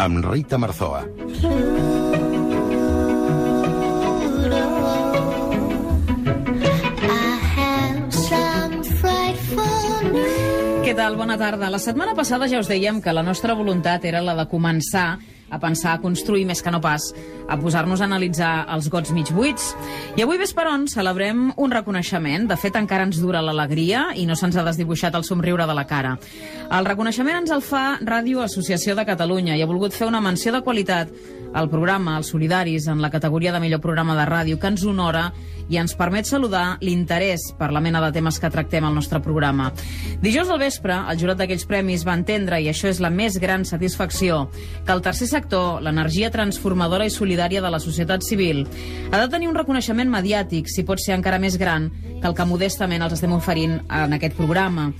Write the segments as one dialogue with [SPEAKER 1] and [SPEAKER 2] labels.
[SPEAKER 1] amb Rita Marzoa.
[SPEAKER 2] Què tal? Bona tarda. La setmana passada ja us dèiem que la nostra voluntat era la de començar a pensar, a construir, més que no pas, a posar-nos a analitzar els gots mig buits. I avui vesperon celebrem un reconeixement. De fet, encara ens dura l'alegria i no se'ns ha desdibuixat el somriure de la cara. El reconeixement ens el fa Ràdio Associació de Catalunya i ha volgut fer una menció de qualitat al programa, als solidaris, en la categoria de millor programa de ràdio, que ens honora i ens permet saludar l'interès per la mena de temes que tractem al nostre programa. Dijous al vespre, el jurat d'aquells premis va entendre, i això és la més gran satisfacció, que el tercer sector, l'energia transformadora i solidària de la societat civil, ha de tenir un reconeixement mediàtic, si pot ser encara més gran, que el que modestament els estem oferint en aquest programa.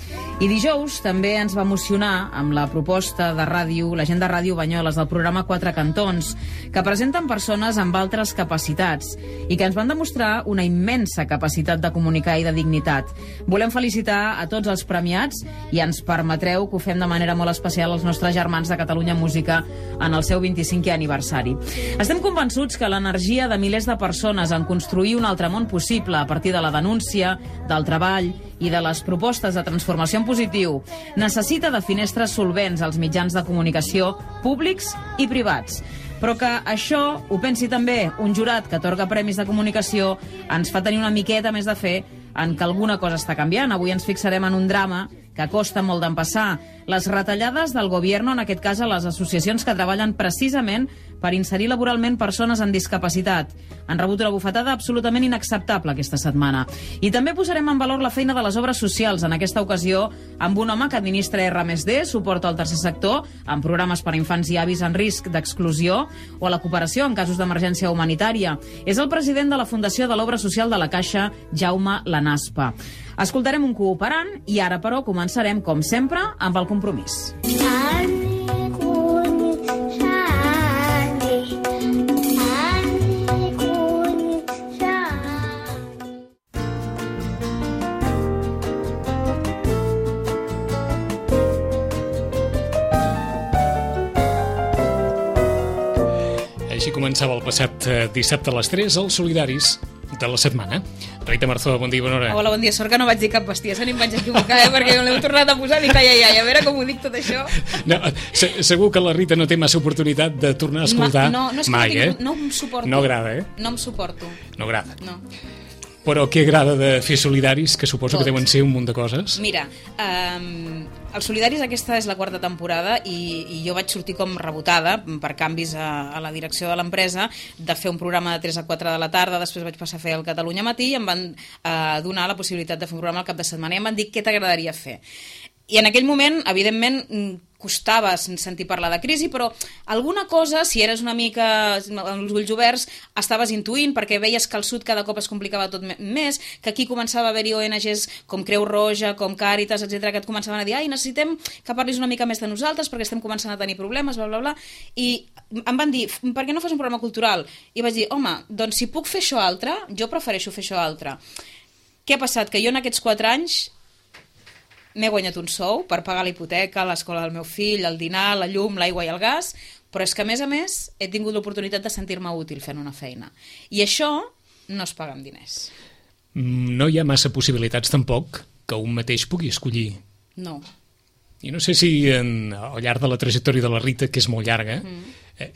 [SPEAKER 2] I dijous també ens va emocionar amb la proposta de ràdio, la gent de Ràdio Banyoles, del programa Quatre Cantons, que presenten persones amb altres capacitats i que ens van demostrar una immensa capacitat de comunicar i de dignitat. Volem felicitar a tots els premiats i ens permetreu que ho fem de manera molt especial als nostres germans de Catalunya Música en el seu 25è aniversari. Estem convençuts que l'energia de milers de persones en construir un altre món possible a partir de la denúncia, del treball i de les propostes de transformació en positiu necessita de finestres solvents als mitjans de comunicació públics i privats. Però que això ho pensi també un jurat que atorga premis de comunicació ens fa tenir una miqueta més de fe en que alguna cosa està canviant. Avui ens fixarem en un drama que costa molt d'empassar. Les retallades del govern, en aquest cas a les associacions que treballen precisament per inserir laboralment persones amb discapacitat. Han rebut una bufetada absolutament inacceptable aquesta setmana. I també posarem en valor la feina de les obres socials, en aquesta ocasió amb un home que administra R+D, suporta al tercer sector, amb programes per a infants i avis en risc d'exclusió o a la cooperació en casos d'emergència humanitària. És el president de la Fundació de l'Obra Social de la Caixa, Jaume Lanaspa. Escoltarem un cooperant i ara, però, començarem, com sempre, amb el compromís.
[SPEAKER 3] Així començava el passat dissabte a les 3 els solidaris de la setmana. Rita Marzoa, bon dia i bona hora.
[SPEAKER 2] Hola, bon dia. Sort que no vaig dir cap bestiesa ni em vaig equivocar, perquè me l'heu tornat a posar i dic, ai, a veure com ho dic tot això.
[SPEAKER 3] No, segur que la Rita no té massa oportunitat de tornar a escoltar mai,
[SPEAKER 2] No em suporto.
[SPEAKER 3] No agrada, eh?
[SPEAKER 2] No em suporto.
[SPEAKER 3] No agrada.
[SPEAKER 2] No.
[SPEAKER 3] Però què agrada de fer solidaris, que suposo que deuen ser un munt de coses?
[SPEAKER 2] Mira, els solidaris aquesta és la quarta temporada i jo vaig sortir com rebotada per canvis a la direcció de l'empresa de fer un programa de 3 a 4 de la tarda, després vaig passar a fer el Catalunya Matí i em van donar la possibilitat de fer un programa al cap de setmana i em van dir què t'agradaria fer. I en aquell moment, evidentment, costava sentir parlar de crisi, però alguna cosa, si eres una mica amb els ulls oberts, estaves intuint, perquè veies que al sud cada cop es complicava tot més, que aquí començava a haver-hi ONGs com Creu Roja, com Càritas, etc, que et començaven a dir, necessitem que parlis una mica més de nosaltres perquè estem començant a tenir problemes, bla, bla, bla. I em van dir, per què no fas un programa cultural? I vaig dir, home, doncs si puc fer això altre, jo prefereixo fer això altre. Què ha passat? Que jo en aquests 4 anys m'he guanyat un sou per pagar la hipoteca, l'escola del meu fill, el dinar, la llum, l'aigua i el gas, però és que, a més, he tingut l'oportunitat de sentir-me útil fent una feina. I això no es paga amb diners.
[SPEAKER 3] No hi ha massa possibilitats, tampoc, que un mateix pugui escollir.
[SPEAKER 2] No.
[SPEAKER 3] I no sé si al llarg de la trajectòria de la Rita, que és molt llarga,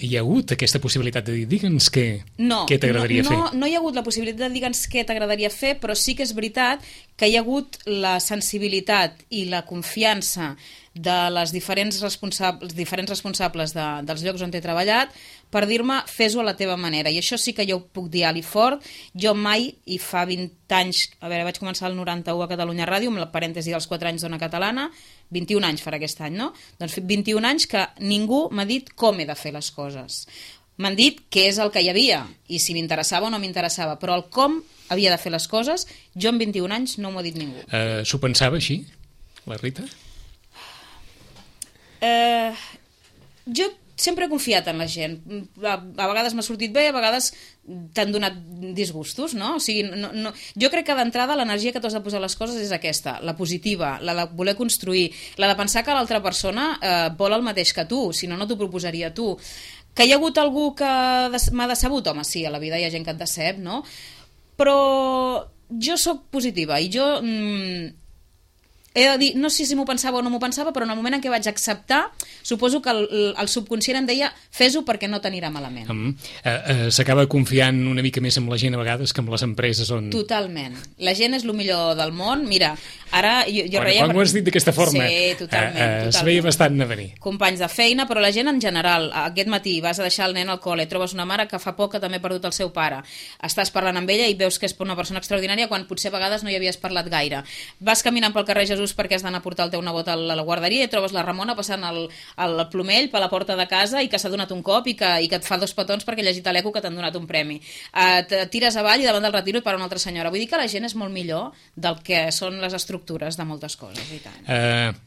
[SPEAKER 3] hi ha hagut aquesta possibilitat de dir, digue'ns què t'agradaria fer.
[SPEAKER 2] No hi ha hagut la possibilitat de digue'ns què t'agradaria fer, però sí que és veritat que hi ha hagut la sensibilitat i la confiança de les diferents responsables dels llocs on he treballat per dir-me, fes-ho a la teva manera. I això sí que jo ho puc dir alt i fort. Jo mai, i fa 20 anys, vaig començar el 91 a Catalunya Ràdio, amb la parèntesi dels 4 anys d'Ona Catalana, 21 anys farà aquest any, no? Doncs 21 anys que ningú m'ha dit com he de fer les coses. M'han dit què és el que hi havia, i si m'interessava o no m'interessava, però el com havia de fer les coses, jo en 21 anys no m'ho ha dit ningú.
[SPEAKER 3] S'ho pensava així, la Rita?
[SPEAKER 2] Jo sempre he confiat en la gent. A vegades m'ha sortit bé, a vegades t'han donat disgustos, no? O sigui, jo crec que d'entrada l'energia que t'has de posar a les coses és aquesta, la positiva, la de voler construir, la de pensar que l'altra persona vol el mateix que tu, si no, no t'ho proposaria tu. Que hi ha hagut algú que m'ha decebut? Home, sí, a la vida hi ha gent que et decep, no? Però jo sóc positiva i jo... he de dir, no sé si m'ho pensava o no m'ho pensava, però en el moment en què vaig acceptar, suposo que el subconscient em deia fes-ho perquè no t'anirà malament.
[SPEAKER 3] S'acaba confiant una mica més amb la gent a vegades que amb les empreses on...
[SPEAKER 2] Totalment. La gent és el millor del món. Mira, ara jo reia...
[SPEAKER 3] Quan ho has dit d'aquesta forma,
[SPEAKER 2] sí, totalment.
[SPEAKER 3] Es veia bastant a venir.
[SPEAKER 2] Companys de feina, però la gent en general. Aquest matí vas a deixar el nen al col·le, trobes una mare que fa poc que també ha perdut el seu pare. Estàs parlant amb ella i veus que és una persona extraordinària quan potser a vegades no hi havies parlat gaire. Vas caminant pel carrer Jesús perquè has d'anar a portar el teu nebot a la guarderia i trobes la Ramona passant el plomell per la porta de casa i que s'ha donat un cop i que et fa 2 petons perquè ha llegit a l'eco que t'han donat un premi. Et tires avall i davant del retiro et para una altra senyora. Vull dir que la gent és molt millor del que són les estructures de moltes coses. I tant.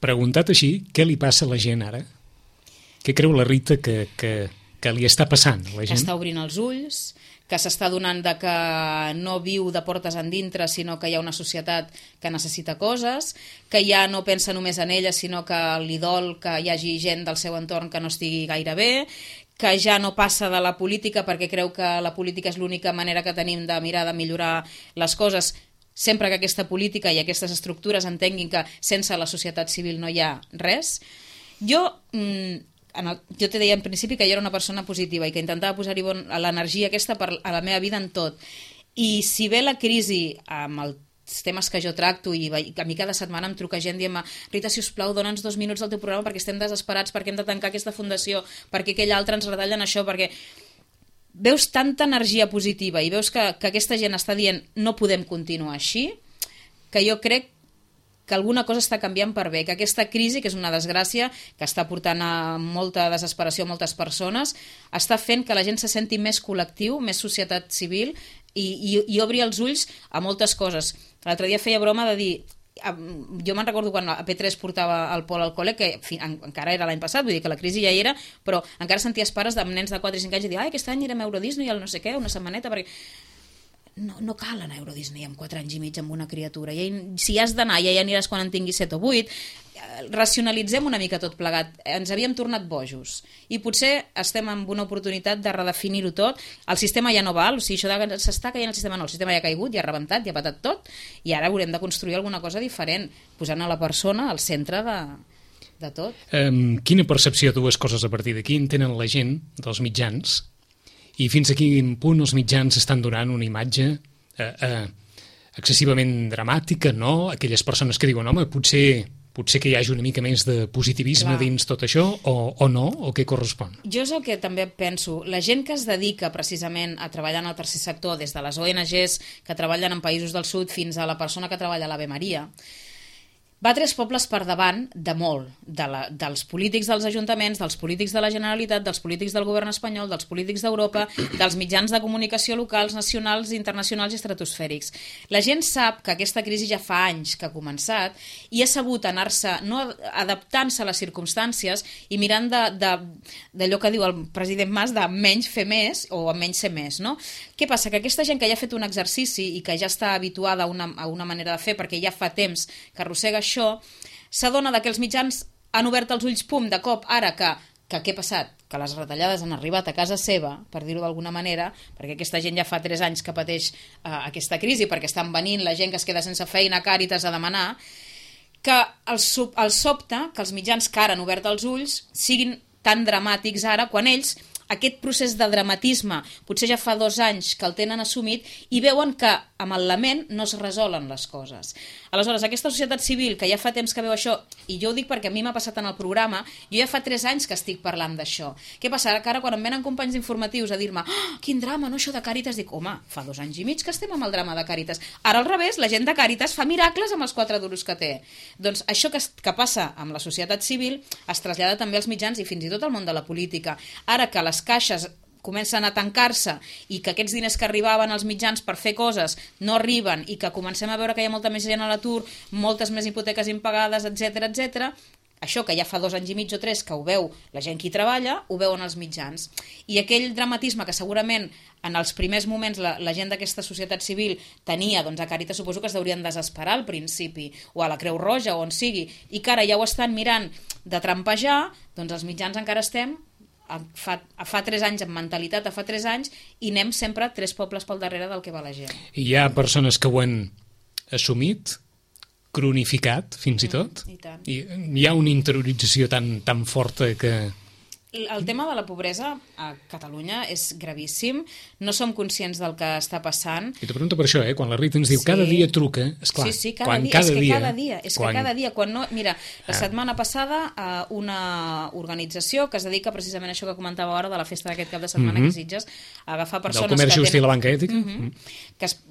[SPEAKER 3] Preguntat així, què li passa a la gent ara? Què creu la Rita que li està passant a la gent?
[SPEAKER 2] Està obrint els ulls, que s'està donant de que no viu de portes endintre, sinó que hi ha una societat que necessita coses, que ja no pensa només en ella, sinó que li dol que hi hagi gent del seu entorn que no estigui gaire bé, que ja no passa de la política perquè creu que la política és l'única manera que tenim de mirar de millorar les coses, sempre que aquesta política i aquestes estructures entenguin que sense la societat civil no hi ha res. Jo te deia en principi que jo era una persona positiva i que intentava posar-hi l'energia aquesta a la meva vida en tot. I si ve la crisi amb els temes que jo tracto i a mi cada setmana em truca gent dient-me Rita, sisplau, dona'ns 2 minuts del teu programa perquè estem desesperats, perquè hem de tancar aquesta fundació, perquè aquell altre ens retallen això, perquè veus tanta energia positiva i veus que aquesta gent està dient no podem continuar així, que jo crec que alguna cosa està canviant per bé, que aquesta crisi, que és una desgràcia, que està portant a molta desesperació a moltes persones, està fent que la gent se senti més col·lectiu, més societat civil i obri els ulls a moltes coses. L'altre dia feia broma de dir, jo me'n recordo quan a P3 portava el Pol al col·le, que encara era l'any passat, vull dir que la crisi ja hi era, però encara senties pares de nens de 4 i 5 anys i dir, aquest any érem a Euro Disney, el no sé què, una setmaneta, perquè... No cal anar a Euro Disney amb 4 anys i mig amb una criatura. Si has d'anar, ja hi aniràs quan en tinguis 7 o 8. Racionalitzem una mica tot plegat. Ens havíem tornat bojos. I potser estem en una oportunitat de redefinir-ho tot. El sistema ja no val, o sigui, això de s'està caient el sistema no. El sistema ja ha caigut, ja ha rebentat, ja ha patat tot, i ara haurem de construir alguna cosa diferent, posant a la persona al centre de tot.
[SPEAKER 3] Quina percepció, 2 coses a partir d'aquí, en tenen la gent dels mitjans? I fins a quin punt els mitjans estan donant una imatge excessivament dramàtica, no? Aquelles persones que diuen, home, potser que hi hagi una mica més de positivisme dins tot això, o no, o què correspon?
[SPEAKER 2] Jo és el que també penso. La gent que es dedica precisament a treballar en el tercer sector, des de les ONGs que treballen en països del sud fins a la persona que treballa a l'Ave Maria, va 3 pobles per davant de molt, dels polítics dels ajuntaments, dels polítics de la Generalitat, dels polítics del govern espanyol, dels polítics d'Europa, dels mitjans de comunicació locals, nacionals, internacionals i estratosfèrics. La gent sap que aquesta crisi ja fa anys que ha començat i ha sabut anar-se, no adaptant-se a les circumstàncies i mirant d'allò que diu el president Mas, de menys fer més o menys ser més, no? Què passa? Que aquesta gent que ja ha fet un exercici i que ja està habituada a una manera de fer perquè ja fa temps que arrossega això, s'adona que els mitjans han obert els ulls, pum, de cop, ara que què ha passat? Que les retallades han arribat a casa seva, per dir-ho d'alguna manera, perquè aquesta gent ja fa 3 anys que pateix aquesta crisi, perquè estan venint la gent que es queda sense feina a Càritas a demanar, que els sobta que els mitjans que ara han obert els ulls siguin tan dramàtics ara, quan ells aquest procés de dramatisme potser ja fa 2 anys que el tenen assumit i veuen que amb el lament no es resolen les coses. Aleshores, aquesta societat civil que ja fa temps que veu això, i jo ho dic perquè a mi m'ha passat en el programa, jo ja fa 3 anys que estic parlant d'això. Què passa? Que ara quan em venen companys d'informatius a dir-me quin drama, no, això de Càritas, dic, home, fa 2 anys i mig que estem amb el drama de Càritas. Ara al revés, la gent de Càritas fa miracles amb els 4 duros que té. Doncs això que passa amb la societat civil es trasllada també als mitjans i fins i tot al món de la política. Ara que les caixes comencen a tancar-se i que aquests diners que arribaven als mitjans per fer coses no arriben i que comencem a veure que hi ha molta més gent a l'atur, moltes més hipoteques impagades, etc, això que ja fa 2 anys i mig o 3 que ho veu la gent que hi treballa, ho veuen els mitjans. I aquell dramatisme que segurament en els primers moments la gent d'aquesta societat civil tenia, doncs a Càritas suposo que es deurien desesperar al principi, o a la Creu Roja, o on sigui, i que ara ja ho estan mirant de trampejar, doncs els mitjans encara estem fa 3 anys, amb mentalitat a fa 3 anys, i anem sempre 3 pobles pel darrere del que va la gent.
[SPEAKER 3] I hi ha persones que ho han assumit, cronificat, fins i tot, i hi ha una interiorització tan forta que...
[SPEAKER 2] El tema de la pobresa a Catalunya és gravíssim, no som conscients del que està passant.
[SPEAKER 3] I te pregunto per això, quan la Rita ens diu cada dia truca, esclar,
[SPEAKER 2] sí, cada dia, quan no... Mira, la setmana passada una organització que es dedica precisament a això que comentava ara de la festa d'aquest cap de setmana que Sitges, a agafar persones
[SPEAKER 3] del comerç just i la banca ètica,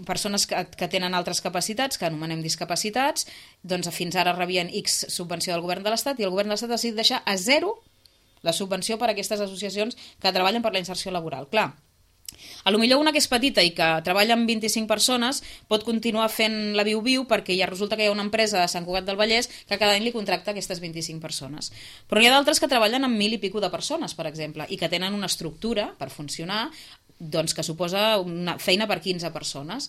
[SPEAKER 2] persones que tenen altres capacitats, que anomenem discapacitats, doncs fins ara rebien X subvenció del govern de l'Estat i el govern de l'Estat ha decidit deixar a 0 la subvenció per a aquestes associacions que treballen per la inserció laboral. Clar, a lo millor una que és petita i que treballa amb 25 persones pot continuar fent la viu-viu perquè ja resulta que hi ha una empresa de Sant Cugat del Vallès que cada any li contracta aquestes 25 persones. Però hi ha d'altres que treballen amb 1.000 i pico de persones, per exemple, i que tenen una estructura per funcionar doncs, que suposa una feina per 15 persones.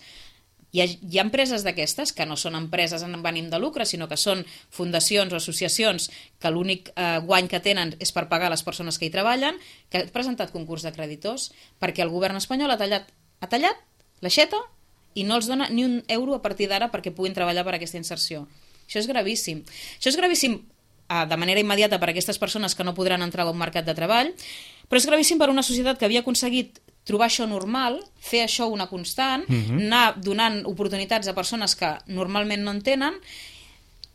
[SPEAKER 2] Hi ha empreses d'aquestes que no són empreses amb ànim de lucre, sinó que són fundacions o associacions que l'únic guany que tenen és per pagar les persones que hi treballen, que han presentat concurs de creditors perquè el govern espanyol ha tallat l'aixeta i no els dona ni un euro a partir d'ara perquè puguin treballar per aquesta inserció. Això és gravíssim. Això és gravíssim de manera immediata per a aquestes persones que no podran entrar a un mercat de treball, però és gravíssim per a una societat que havia aconseguit trobar això normal, fer això una constant, anar donant oportunitats a persones que normalment no en tenen,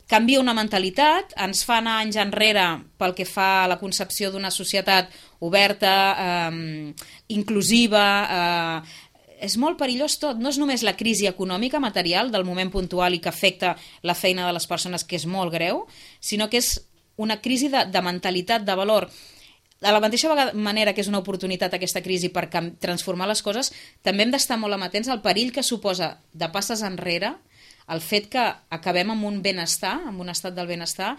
[SPEAKER 2] canvia una mentalitat, ens fa anar anys enrere pel que fa a la concepció d'una societat oberta, inclusiva, és molt perillós tot, no és només la crisi econòmica material del moment puntual i que afecta la feina de les persones, que és molt greu, sinó que és una crisi de mentalitat, de valor. De la mateixa manera que és una oportunitat aquesta crisi per transformar les coses, també hem d'estar molt amatents al perill que suposa de passes enrere el fet que acabem amb un benestar, amb un estat del benestar,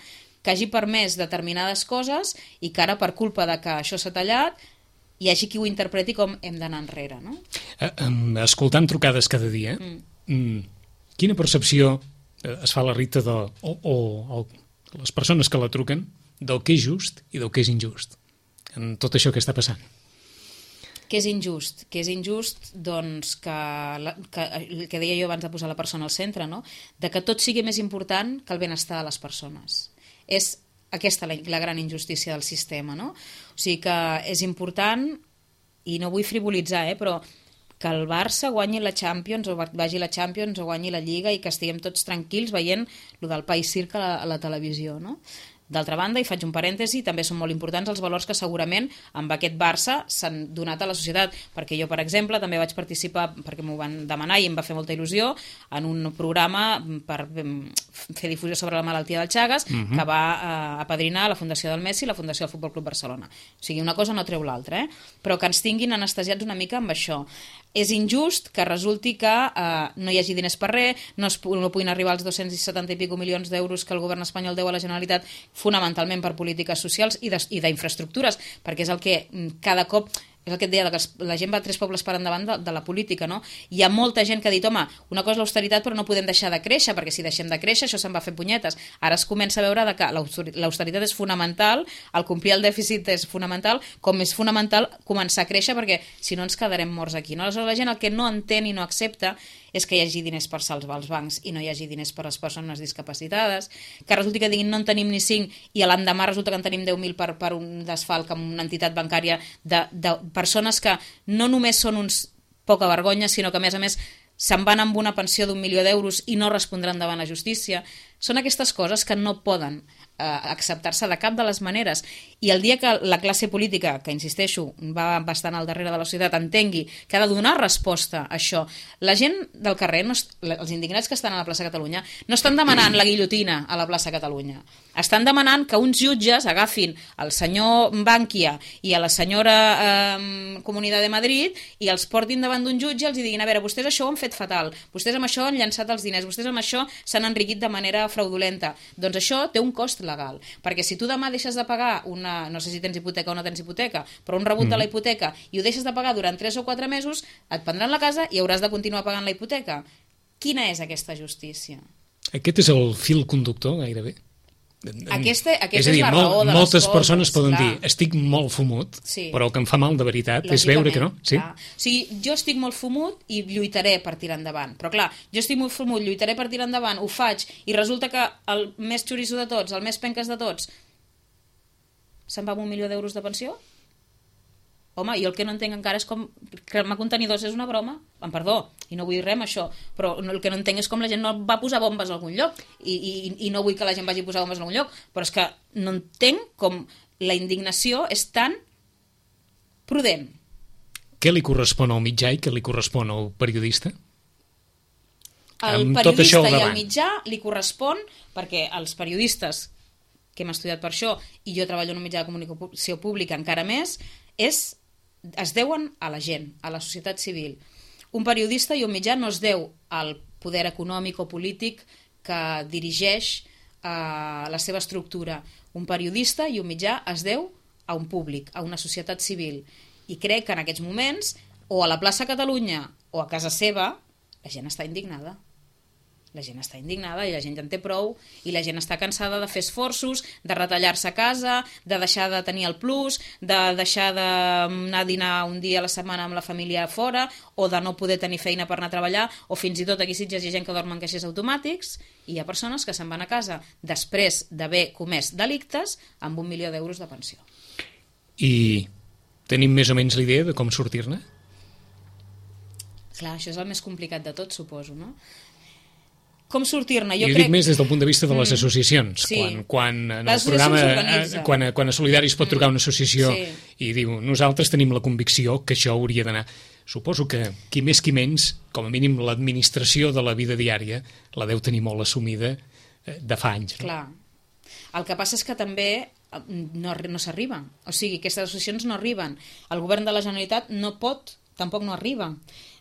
[SPEAKER 2] que hagi permès determinades coses i que ara, per culpa de que això s'ha tallat, hi hagi qui ho interpreti com hem d'anar enrere, no?
[SPEAKER 3] Escoltant trucades cada dia, quina percepció es fa la Rita o les persones que la truquen del que és just i del que és injust en tot això que està passant?
[SPEAKER 2] Què és injust? Què és injust? Doncs que el que deia jo abans de posar la persona al centre, no? De que tot sigui més important que el benestar de les persones. És aquesta la gran injustícia del sistema, no? O sigui que és important, i no vull frivolitzar, però que el Barça guanyi la Champions o vagi la Champions o guanyi la Lliga i que estiguem tots tranquils veient el del País Circ a la televisió, no? D'altra banda, i faig un parèntesi, també són molt importants els valors que segurament amb aquest Barça s'han donat a la societat, perquè jo, per exemple, també vaig participar, perquè m'ho van demanar i em va fer molta il·lusió, en un programa per fer difusió sobre la malaltia del Chagas, que va apadrinar la Fundació del Messi i la Fundació del Futbol Club Barcelona. O sigui, una cosa no treu l'altra, però que ens tinguin anestesiats una mica amb això. És injust que resulti que no hi hagi diners per res, no puguin arribar als 270 i pico milions d'euros que el govern espanyol deu a la Generalitat, fonamentalment per polítiques socials i d'infraestructures, perquè és el que cada cop... És el que et deia, que la gent va 3 pobles per endavant de la política, no? Hi ha molta gent que ha dit, home, una cosa és l'austeritat però no podem deixar de créixer, perquè si deixem de créixer això se'n va fer punyetes. Ara es comença a veure que l'austeritat és fonamental, el complir el dèficit és fonamental, com és fonamental començar a créixer, perquè si no ens quedarem morts aquí, no? Aleshores la gent el que no entén i no accepta és que hi hagi diners per salvar els bancs i no hi hagi diners per a les persones discapacitades, que resulti que diguin no en tenim ni 5 i l'endemà resulta que en tenim 10.000 per un desfalc amb una entitat bancària de persones que no només són uns poca vergonya, sinó que a més se'n van amb una pensió d'1 milió d'euros i no respondran davant la justícia. Són aquestes coses que no poden acceptar-se de cap de les maneres I el dia que la classe política, que insisteixo, va bastant al darrere de la societat, entengui que ha de donar resposta a això, la gent del carrer, els indignats que estan a la plaça Catalunya, no estan demanant la guillotina a la plaça Catalunya. Estan demanant que uns jutges agafin el senyor Bankia i a la senyora Comunitat de Madrid i els portin davant d'un jutge i els diguin, a veure, vostès això ho han fet fatal, vostès amb això han llançat els diners, vostès amb això s'han enriquit de manera fraudulenta. Doncs això té un cost legal, perquè si tu demà deixes de pagar no sé si tens hipoteca o no tens hipoteca, però un rebut de la hipoteca i ho deixes de pagar durant 3 o 4 mesos, et prendran la casa i hauràs de continuar pagant la hipoteca. Quina és aquesta justícia?
[SPEAKER 3] Aquest és el fil conductor, gairebé.
[SPEAKER 2] Aquesta
[SPEAKER 3] és a dir,
[SPEAKER 2] la raó de les
[SPEAKER 3] moltes
[SPEAKER 2] coses,
[SPEAKER 3] persones poden
[SPEAKER 2] clar.
[SPEAKER 3] dir estic molt fumut,
[SPEAKER 2] Sí.
[SPEAKER 3] però el que em fa mal de veritat és veure que no. Sí?
[SPEAKER 2] Clar. O sigui, jo estic molt fumut i lluitaré per tirar endavant. Però clar, jo estic molt fumut, lluitaré per tirar endavant, ho faig, i resulta que el més xoriço de tots, el més penques de tots, se'n va amb 1 milió d'euros de pensió? Home, jo el que no entenc encara és com cremar contenidors és una broma, amb perdó, i no vull res amb això, però el que no entenc és com la gent no va posar bombes a algun lloc, i no vull que la gent vagi a posar bombes a algun lloc, però és que no entenc com la indignació és tan prudent.
[SPEAKER 3] Què li correspon al mitjà i què li correspon al periodista?
[SPEAKER 2] Al
[SPEAKER 3] Amb tot això
[SPEAKER 2] periodista
[SPEAKER 3] al
[SPEAKER 2] i al
[SPEAKER 3] davant.
[SPEAKER 2] mitjà li correspon, perquè els periodistes, que hem estudiat per això, i jo treballo en un mitjà de comunicació pública encara més, es deuen a la gent, a la societat civil. Un periodista i un mitjà no es deu al poder econòmic o polític que dirigeix la seva estructura. Un periodista i un mitjà es deu a un públic, a una societat civil. I crec que en aquests moments, o a la plaça Catalunya o a casa seva, la gent està indignada. La gent està indignada i la gent ja en té prou i la gent està cansada de fer esforços, de retallar-se a casa, de deixar de tenir el plus, de deixar d'anar a dinar un dia a la setmana amb la família fora o de no poder tenir feina per anar a treballar o fins i tot aquí a Sitges hi ha gent que dorm en caixers automàtics i hi ha persones que se'n van a casa després d'haver comès delictes amb 1 milió d'euros de pensió.
[SPEAKER 3] I tenim més o menys l'idea de com sortir-ne?
[SPEAKER 2] Clar, això és el més complicat de tot, suposo, no? Com sortir-ne?
[SPEAKER 3] Jo crec... dic més des del punt de vista de les associacions.
[SPEAKER 2] Sí.
[SPEAKER 3] Quan en el programa, quan a Solidari es pot trucar una associació i diu nosaltres tenim la convicció que això hauria d'anar. Suposo que qui més qui menys, com a mínim l'administració de la vida diària, la deu tenir molt assumida de fa anys. No?
[SPEAKER 2] Clar. El que passa és que també no s'arriba. O sigui, aquestes associacions no arriben. El govern de la Generalitat no pot, tampoc no arriba,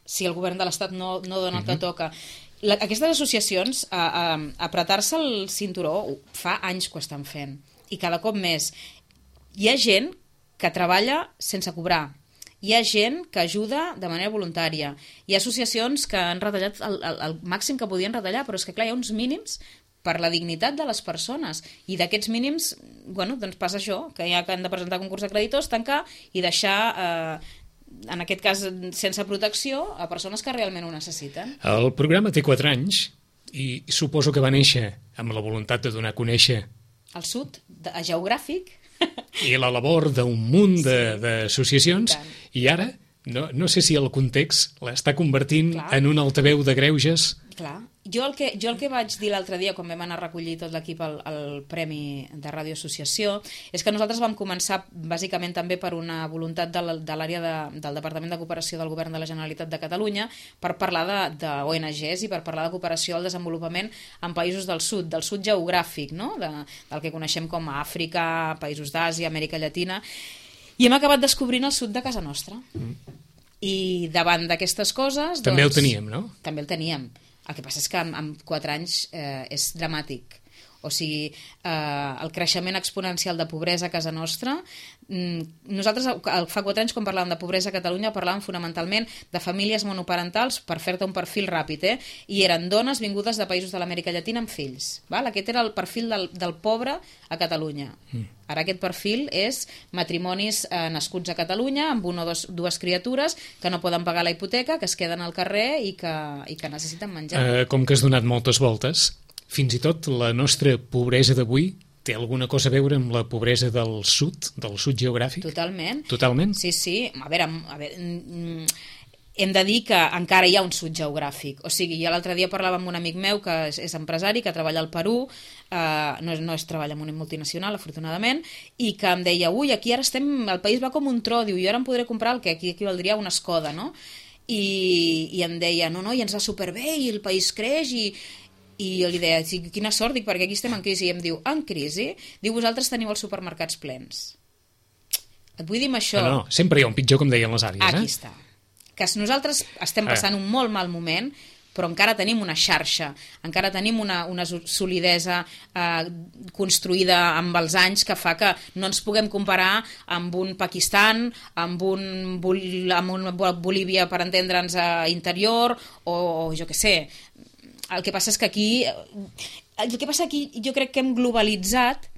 [SPEAKER 2] si el govern de l'Estat no dona el que toca. Aquestes associacions, apretar-se el cinturó, fa anys que ho estan fent, i cada cop més. Hi ha gent que treballa sense cobrar, hi ha gent que ajuda de manera voluntària, hi ha associacions que han retallat el màxim que podien retallar, però és que clar, hi ha uns mínims per la dignitat de les persones, i d'aquests mínims, bueno, doncs passa això, que ja han de presentar concurs de creditors, tancar i deixar... en aquest cas sense protecció, a persones que realment ho necessiten.
[SPEAKER 3] El programa té 4 anys i suposo que va néixer amb la voluntat de donar a conèixer
[SPEAKER 2] el sud geogràfic
[SPEAKER 3] i la labor d'un munt d'associacions i ara no sé si el context l'està convertint en un altaveu de greuges.
[SPEAKER 2] Clar. Jo el que vaig dir l'altre dia quan vam anar a recollir tot l'equip al Premi de Ràdio Associació és que nosaltres vam començar bàsicament també per una voluntat de l'àrea del Departament de Cooperació del Govern de la Generalitat de Catalunya per parlar d'ONGs i per parlar de cooperació al desenvolupament en països del sud geogràfic, no? Del que coneixem com a Àfrica, països d'Àsia, Amèrica Llatina, i hem acabat descobrint el sud de casa nostra. I davant d'aquestes coses...
[SPEAKER 3] També el teníem, no?
[SPEAKER 2] També el teníem. El que passa és que en 4 anys és dramàtic. O sigui, el creixement exponencial de pobresa a casa nostra... Nosaltres fa 4 anys quan parlàvem de pobresa a Catalunya parlàvem fonamentalment de famílies monoparentals, per fer-te un perfil ràpid, i eren dones vingudes de països de l'Amèrica Llatina amb fills. Aquest era el perfil del pobre a Catalunya. Ara aquest perfil és matrimonis nascuts a Catalunya amb una o dues criatures que no poden pagar la hipoteca, que es queden al carrer i que necessiten menjar.
[SPEAKER 3] Com que has donat moltes voltes, fins i tot la nostra pobresa d'avui té alguna cosa a veure amb la pobresa del sud geogràfic?
[SPEAKER 2] Totalment.
[SPEAKER 3] Totalment?
[SPEAKER 2] Sí. A veure, hem de dir que encara hi ha un sud geogràfic. O sigui, jo l'altre dia parlava amb un amic meu que és empresari, que treballa al Perú, no es treballa en una multinacional, afortunadament, i que em deia, ui, aquí ara el país va com un tro, diu, jo ara em podré comprar el que aquí equivaldria a una Skoda, no? I em deia, no, i ens va superbé, i el país creix, i jo li deia, quina sort, dic, perquè aquí estem en crisi. I em diu, en crisi? Diu, vosaltres teniu els supermercats plens. Et vull dir amb això...
[SPEAKER 3] No, sempre hi ha un pitjor, com deien les àrees.
[SPEAKER 2] Aquí està. Que nosaltres estem passant un molt mal moment, però encara tenim una xarxa, encara tenim una solidesa construïda amb els anys que fa que no ens puguem comparar amb un Pakistan, amb un Bolívia, per entendre'ns, interior, o jo què sé. El que passa és que aquí jo crec que hem globalitzat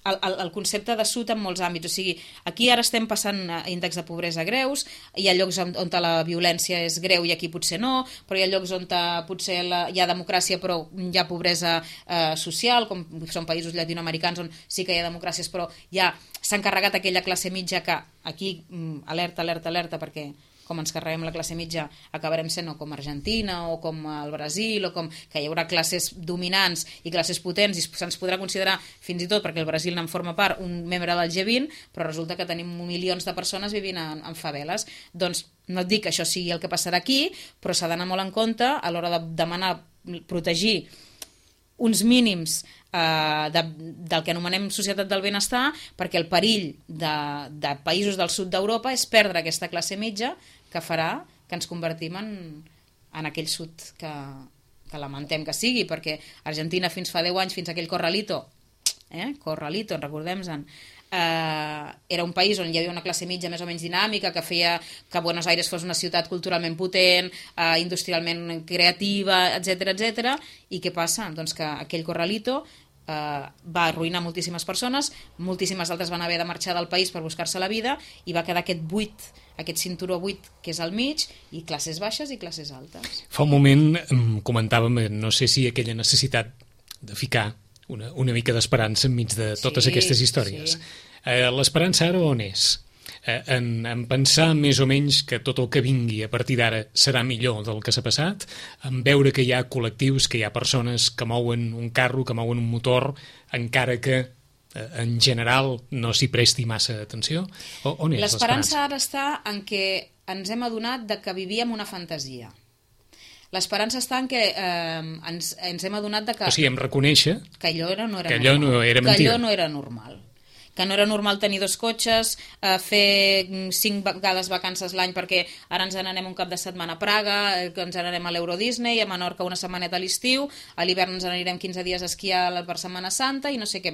[SPEAKER 2] el concepte de sud en molts àmbits. O sigui, aquí ara estem passant índexs de pobresa greus, hi ha llocs on la violència és greu i aquí potser no, però hi ha llocs on potser hi ha democràcia però hi ha pobresa social, com són països llatinoamericans on sí que hi ha democràcies, però ja s'ha encarregat aquella classe mitja que aquí, alerta, perquè com ens carreguem la classe mitja acabarem sent o com Argentina o com el Brasil, o com que hi haurà classes dominants i classes potents i se'ns podrà considerar fins i tot, perquè el Brasil en forma part, un membre del G20, però resulta que tenim milions de persones vivint en faveles. Doncs no et dic que això sigui el que passarà aquí, però s'ha d'anar molt en compte a l'hora de demanar protegir uns mínims del que anomenem societat del benestar, perquè el perill de països del sud d'Europa és perdre aquesta classe mitja que farà que ens convertim en aquell sud que lamentem que sigui, perquè Argentina fins fa 10 anys, fins a aquell Corralito, recordem-se'n, era un país on hi havia una classe mitja més o menys dinàmica que feia que Buenos Aires fos una ciutat culturalment potent, industrialment creativa, etc. I què passa? Doncs que aquell Corralito va arruïnar moltíssimes persones, moltíssimes altres van haver de marxar del país per buscar-se la vida i va quedar aquest buit, aquest cinturó buit que és al mig, i classes baixes i classes altes.
[SPEAKER 3] Fa un moment comentàvem, no sé si aquella necessitat de ficar una mica d'esperança enmig de totes aquestes històries. Sí. L'esperança ara on és? En pensar més o menys que tot el que vingui a partir d'ara serà millor del que s'ha passat, en veure que hi ha col·lectius, que hi ha persones que mouen un carro, que mouen un motor, encara que en general no s'hi presti massa atenció? On és
[SPEAKER 2] l'esperança? Ara està en què ens hem adonat de que vivíem una fantasia. L'esperança està en què ens hem adonat de que...
[SPEAKER 3] O sigui, em reconèixer
[SPEAKER 2] que allò no era
[SPEAKER 3] que allò no era mentida.
[SPEAKER 2] Que allò no era normal. Que no era normal tenir 2 cotxes, fer 5 vegades vacances l'any perquè ara ens n'anem un cap de setmana a Praga, que ens n'anem a l'Euro Disney, a Menorca una setmaneta a l'estiu, a l'hivern ens n'anirem 15 dies a esquiar per Setmana Santa i no sé què.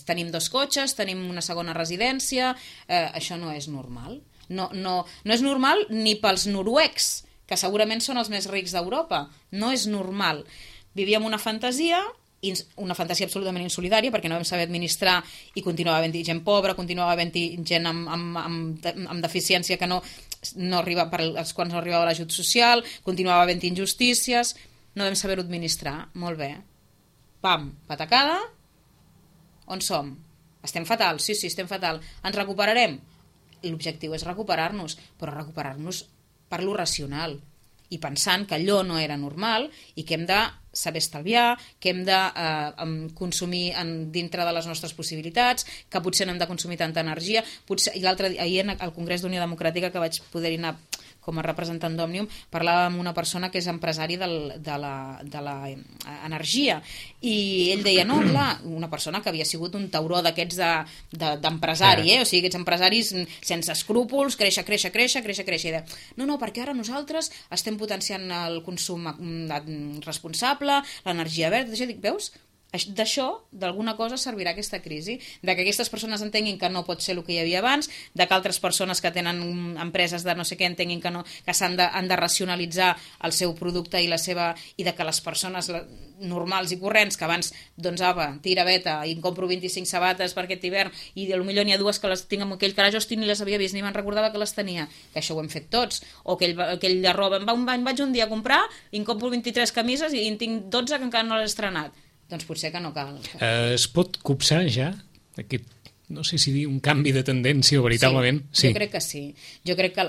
[SPEAKER 2] Tenim 2 cotxes, tenim una segona residència, això no és normal. No és normal ni pels noruecs, que segurament són els més rics d'Europa. No és normal. Vivíem una fantasia absolutament insolidària, perquè no vam saber administrar i continuava havent-hi gent pobra, continuava havent-hi gent amb deficiència que no arriba, per als quals no arribava l'ajut social, continuava havent-hi injustícies, no vam saber-ho administrar. Molt bé. Pam, patacada. On som? Estem fatal? Sí, estem fatal. Ens recuperarem? L'objectiu és recuperar-nos, però recuperar-nos per lo racional i pensant que allò no era normal i que hem de saber estalviar, que hem de consumir dintre de les nostres possibilitats, que potser no hem de consumir tanta energia. Ahir al Congrés d'Unió Democràtica, que vaig poder anar com a representant d'Òmnium, parlava amb una persona que és empresari de l'energia, i ell deia, no, clar, una persona que havia sigut un tauró d'aquests d'empresari, o sigui, aquests empresaris sense escrúpols, créixer, i deia, no, perquè ara nosaltres estem potenciant el consum responsable, l'energia verda, dic, veus? D'això, d'alguna cosa servirà aquesta crisi, de que aquestes persones entenguin que no pot ser el que hi havia abans, de que altres persones que tenen empreses de no sé què entenguin que han de racionalitzar el seu producte i de que les persones normals i corrents, que abans, doncs apa, tira veta, i em compro 25 sabates per aquest hivern, i potser n'hi ha 2 que les tinc amb aquell carajo ni les havia vist, ni me'n recordava que les tenia, que això ho hem fet tots, o aquell de roba, vaig un dia a comprar i em compro 23 camises i en tinc 12 que encara no les he estrenat. Doncs potser que no cal.
[SPEAKER 3] Es pot copsar ja aquest no sé si dir un canvi de tendència o veritablement...
[SPEAKER 2] Sí, jo crec que sí. Jo crec que,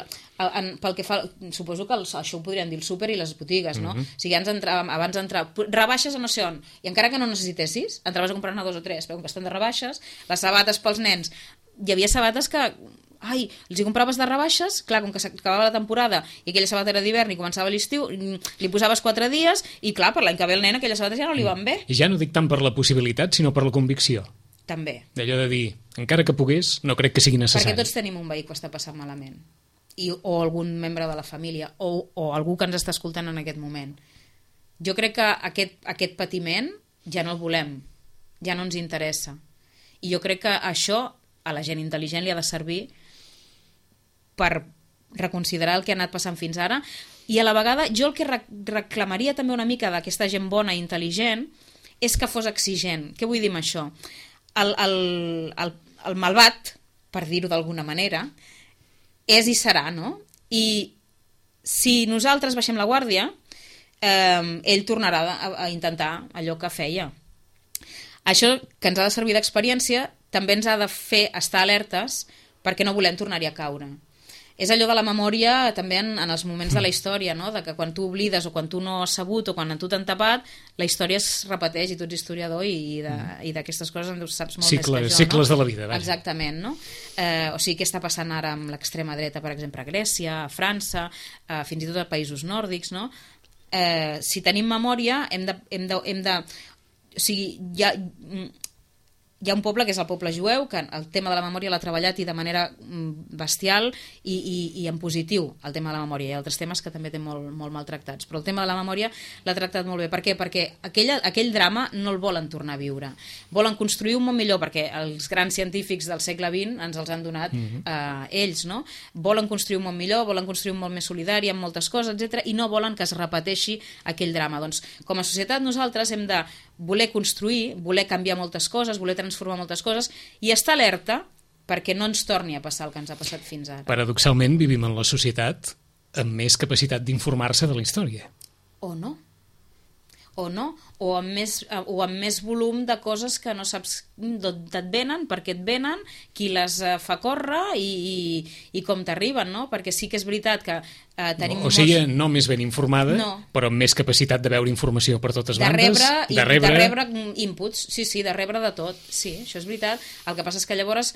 [SPEAKER 2] pel que fa... Suposo que això ho podrien dir el súper i les botigues, no? O sigui, abans d'entrar... Rebaixes a no sé on, i encara que no necessitessis, entraves a comprar-ne 2 o 3, però com que estan de rebaixes, les sabates pels nens... Hi havia sabates que... Ai, els hi compraves de rebaixes, clar, com que s'acabava la temporada i aquella sabata era d'hivern i començava l'estiu, li posaves 4 dies i clar, per l'any que ve el nen aquelles sabates ja no li van bé.
[SPEAKER 3] I ja no dic tant per la possibilitat, sinó per la convicció.
[SPEAKER 2] També.
[SPEAKER 3] D'allò de dir, encara que pogués, no crec que sigui necessari.
[SPEAKER 2] Perquè tots tenim un veí que està passant malament. O algun membre de la família, o algú que ens està escoltant en aquest moment. Jo crec que aquest patiment ja no el volem, ja no ens interessa. I jo crec que això a la gent intel·ligent li ha de servir per reconsiderar el que ha anat passant fins ara, i a la vegada jo el que reclamaria també una mica d'aquesta gent bona i intel·ligent és que fos exigent. Què vull dir amb això? El malvat, per dir-ho d'alguna manera, és i serà, no? I si nosaltres baixem la guàrdia, ell tornarà a intentar allò que feia. Això que ens ha de servir d'experiència també ens ha de fer estar alertes perquè no volem tornar-hi a caure. És allò de la memòria també en els moments de la història, no? De que quan tu oblides o quan tu no has sabut o quan tu t'han tapat, la història es repeteix i tu ets historiador i d'aquestes coses en saps molt més que jo.
[SPEAKER 3] Cicles de la vida. Vaja.
[SPEAKER 2] Exactament, no? O sigui, què està passant ara amb l'extrema dreta, per exemple, a Grècia, a França, fins i tot a països nòrdics, no? Si tenim memòria, hem de... O sigui, hi ha un poble que és el poble jueu que el tema de la memòria l'ha treballat i de manera bestial i en positiu el tema de la memòria. Hi ha altres temes que també té molt maltractats, però el tema de la memòria l'ha tractat molt bé. Per què? Perquè aquell drama no el volen tornar a viure. Volen construir un món millor perquè els grans científics del segle XX ens els han donat ells, no? Volen construir un món millor, volen construir un món més solidari amb moltes coses, etc. i no volen que es repeteixi aquell drama. Doncs com a societat nosaltres hem de voler construir, voler canviar moltes coses, voler transformar moltes coses i estar alerta perquè no ens torni a passar el que ens ha passat fins ara.
[SPEAKER 3] Paradoxalment vivim en la societat amb més capacitat d'informar-se de la història.
[SPEAKER 2] O no. O amb més volum de coses que no saps d'on et venen, per què et venen, qui les fa córrer i com t'arriben, no? Perquè sí que és veritat que tenim
[SPEAKER 3] o sigui, no més ben informada, però amb més capacitat de veure informació per totes bandes.
[SPEAKER 2] De rebre inputs, sí, de rebre de tot. Sí, això és veritat. El que passa és que llavors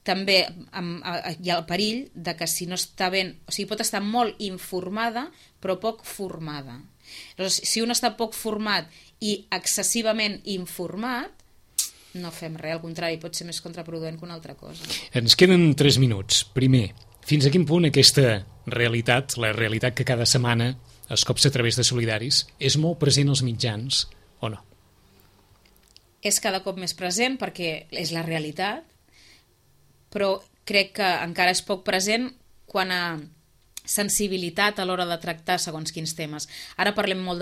[SPEAKER 2] també hi ha el perill de que si no està ben... O sigui, pot estar molt informada, però poc formada. Llavors, si un està poc format i excessivament informat, no fem res, al contrari, pot ser més contraproduent que una altra cosa.
[SPEAKER 3] Ens queden 3 minuts. Primer, fins a quin punt aquesta realitat, la realitat que cada setmana es copsa a través de Solidaris, és molt present als mitjans o no?
[SPEAKER 2] És cada cop més present perquè és la realitat, però crec que encara és poc present quan a sensibilitat a l'hora de tractar segons quins temes. Ara parlem molt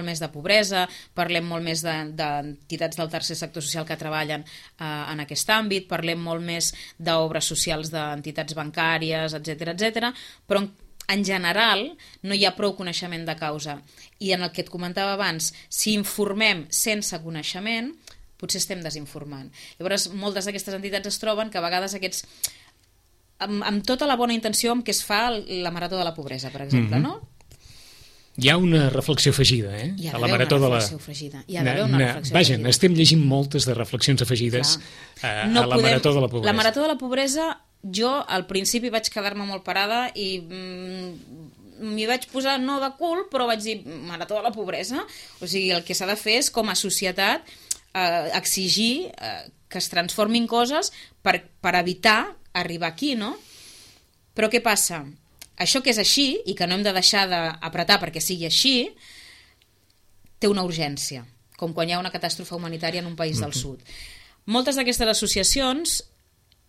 [SPEAKER 2] més de pobresa, parlem molt més d'entitats del tercer sector social que treballen en aquest àmbit, parlem molt més d'obres socials d'entitats bancàries, etc., però en general no hi ha prou coneixement de causa. I en el que et comentava abans, si informem sense coneixement, potser estem desinformant. Llavors, moltes d'aquestes entitats es troben que a vegades aquests... amb tota la bona intenció amb què es fa la Marató de la Pobresa, per exemple, no?
[SPEAKER 3] Hi ha una reflexió afegida,
[SPEAKER 2] a la Marató de la... Hi ha d'haver una reflexió afegida.
[SPEAKER 3] Vaja, estem llegint moltes de reflexions afegides a la Marató de la Pobresa.
[SPEAKER 2] La Marató de la Pobresa, jo al principi vaig quedar-me molt parada i m'hi vaig posar no de cul, però vaig dir Marató de la Pobresa. O sigui, el que s'ha de fer és, com a societat, exigir que es transformin coses per evitar arribar aquí, no? Però què passa? Això que és així, i que no hem de deixar d'apretar perquè sigui així, té una urgència, com quan hi ha una catàstrofe humanitària en un país del sud. Moltes d'aquestes associacions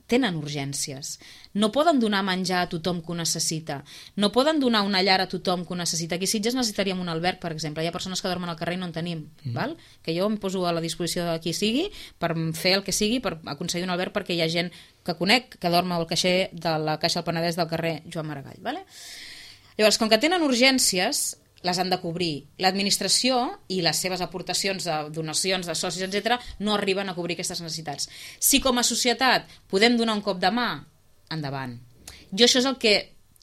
[SPEAKER 2] tenen urgències. No poden donar menjar a tothom que ho necessita. No poden donar una llar a tothom que ho necessita. Aquí a Sitges necessitaríem un alberg, per exemple. Hi ha persones que dormen al carrer i no en tenim. Val? Que jo em poso a la disposició de qui sigui per fer el que sigui, per aconseguir un alberg, perquè hi ha gent que conec que dorm al caixer de la Caixa del Penedès del carrer Joan Maragall. Vale? Llavors, com que tenen urgències, les han de cobrir. L'administració i les seves aportacions de donacions, de socis, etc., no arriben a cobrir aquestes necessitats. Si com a societat podem donar un cop de mà, endavant. Jo això és el que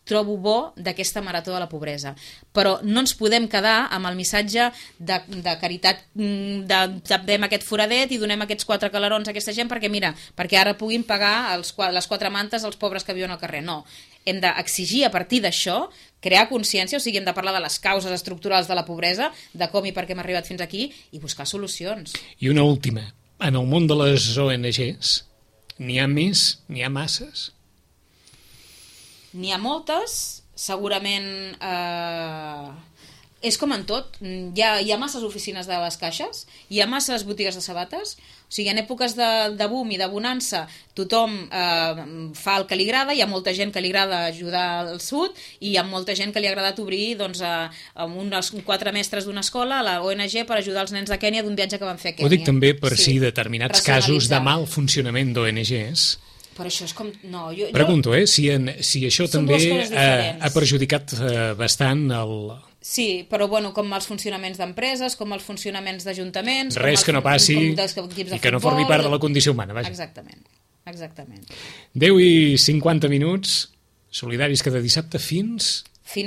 [SPEAKER 2] trobo bo d'aquesta marató de la pobresa, però no ens podem quedar amb el missatge de caritat, de tapem aquest foradet i donem aquests 4 calarons a aquesta gent perquè ara puguin pagar les 4 mantes als pobres que viuen al carrer. No, hem d'exigir a partir d'això, crear consciència, o sigui, hem de parlar de les causes estructurals de la pobresa, de com i per què hem arribat fins aquí, i buscar solucions.
[SPEAKER 3] I una última. En el món de les ONGs, n'hi ha més, n'hi ha masses?
[SPEAKER 2] N'hi ha moltes, segurament és com en tot, hi ha masses oficines de les caixes, hi ha masses botigues de sabates, o sigui, en èpoques de boom i de bonança tothom fa el que li agrada, hi ha molta gent que li agrada ajudar al sud i hi ha molta gent que li ha agradat obrir amb uns 4 mestres d'una escola a la ONG per ajudar els nens de Kènia d'un viatge que van fer a Kènia.
[SPEAKER 3] Ho dic també per si determinats casos de mal funcionament d'ONGs.
[SPEAKER 2] Però això és com... No,
[SPEAKER 3] pregunto, si això també ha perjudicat bastant el...
[SPEAKER 2] Sí, però bueno, com els funcionaments d'empreses, com els funcionaments d'ajuntaments...
[SPEAKER 3] Res que no passi i que no formi part de la condició humana, vaja.
[SPEAKER 2] Exactament.
[SPEAKER 3] 10:50 minuts, solidaris cada dissabte fins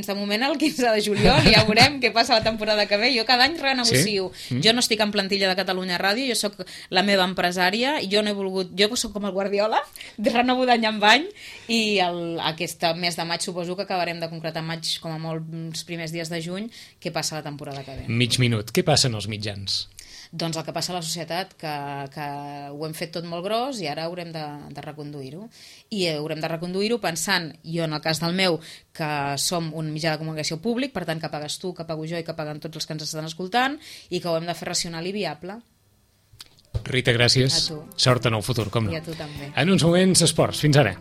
[SPEAKER 2] de moment el 15 de juliol, ja veurem què passa la temporada que ve. Jo cada any renegocio. Sí? Jo no estic en plantilla de Catalunya Ràdio, jo sóc la meva empresària, i jo no he volgut... Jo sóc com el Guardiola, renovo d'any en any, i aquest mes de maig suposo que acabarem de concretar maig, com a molt els primers dies de juny, què passa la temporada que ve.
[SPEAKER 3] Mig minut. Què passa en els mitjans?
[SPEAKER 2] Doncs el que passa a la societat, que ho hem fet tot molt gros i ara haurem de reconduir-ho. I haurem de reconduir-ho pensant, jo en el cas del meu, que som un mitjà de comunicació públic, per tant que pagues tu, que pago jo i que paguen tots els que ens estan escoltant, i que ho hem de fer racional i viable.
[SPEAKER 3] Rita, gràcies. Sort en el futur, com no.
[SPEAKER 2] I a tu també.
[SPEAKER 3] En uns moments, esports. Fins ara.